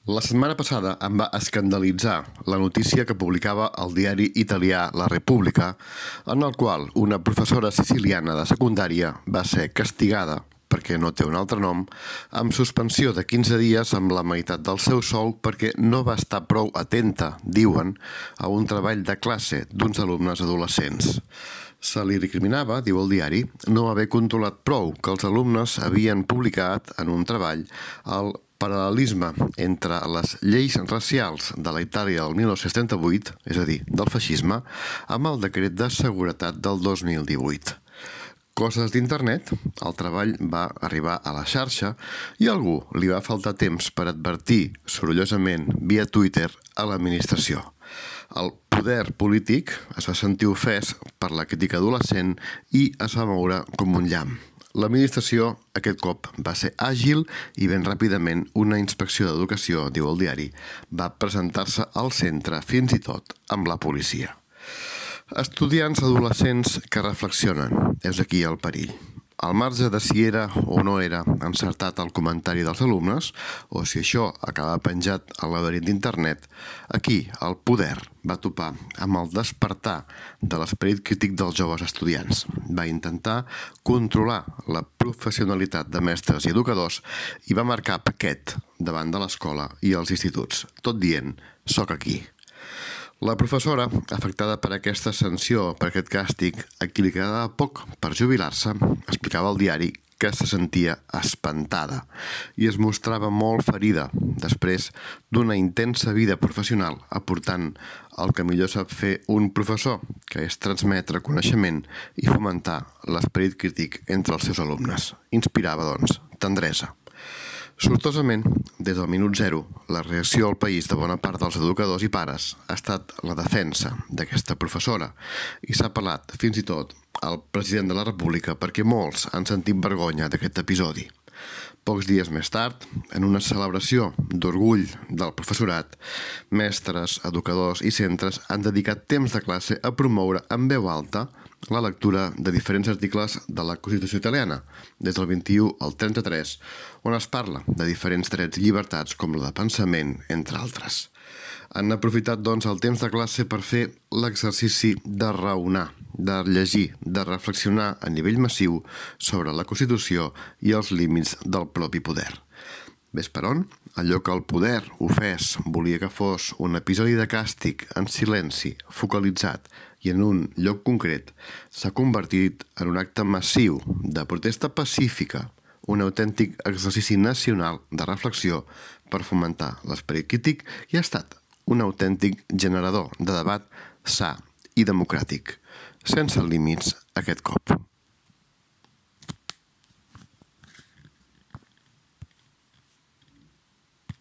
La setmana passada em va escandalitzar la notícia que publicava el diari italià La Repubblica, en el qual una professora siciliana de secundària va ser castigada, perquè no té un altre nom, amb suspensió de 15 dies amb la meitat del seu sou perquè no va estar prou atenta, diuen, a un treball de classe d'uns alumnes adolescents. Se li recriminava, diu el diari, no haver controlat prou que els alumnes havien publicat en un treball el paral·lelisme entre les lleis racials de la Itàlia del 1938, és a dir, del feixisme, amb el decret de seguretat del 2018. Coses d'internet, el treball va arribar a la xarxa i a algú li va faltar temps per advertir sorollosament via Twitter a l'administració. El poder polític es va sentir ofès per la crítica adolescent i es va moure com un llamp. L'administració aquest cop va ser àgil i ben ràpidament una inspecció d'educació, diu el diari, va presentar-se al centre fins i tot amb la policia. Estudiants adolescents que reflexionen, és aquí el perill. Al marge de si era o no era encertat el comentari dels alumnes, o si això acaba penjat al laberint d'internet, aquí el poder va topar amb el despertar de l'esperit crític dels joves estudiants. Va intentar controlar la professionalitat de mestres i educadors i va marcar paquet davant de l'escola i els instituts, tot dient, soc aquí. La professora, afectada per aquesta sanció, per aquest càstig, a qui li quedava poc per jubilar-se, explicava al diari que se sentia espantada i es mostrava molt ferida després d'una intensa vida professional aportant el que millor sap fer un professor, que és transmetre coneixement i fomentar l'esperit crític entre els seus alumnes. Inspirava, doncs, tendresa. Sortosament, des del minut zero, la reacció al país de bona part dels educadors i pares ha estat la defensa d'aquesta professora i s'ha apel·lat fins i tot al president de la República perquè molts han sentit vergonya d'aquest episodi. Pocs dies més tard, en una celebració d'orgull del professorat, mestres, educadors i centres han dedicat temps de classe a promoure en veu alta la lectura de diferents articles de la Constitució italiana, des del 21 al 33, on es parla de diferents drets i llibertats com la de pensament, entre altres. Han aprofitat, doncs, el temps de classe per fer l'exercici de raonar, de llegir, de reflexionar a nivell massiu sobre la Constitució i els límits del propi poder. Ves per on? Allò que el poder ofès volia que fos un episodi de càstig en silenci, focalitzat i en un lloc concret, s'ha convertit en un acte massiu de protesta pacífica, un autèntic exercici nacional de reflexió per fomentar l'esperit crític i ha estat un autèntic generador de debat sa i democràtic, sense límits aquest cop.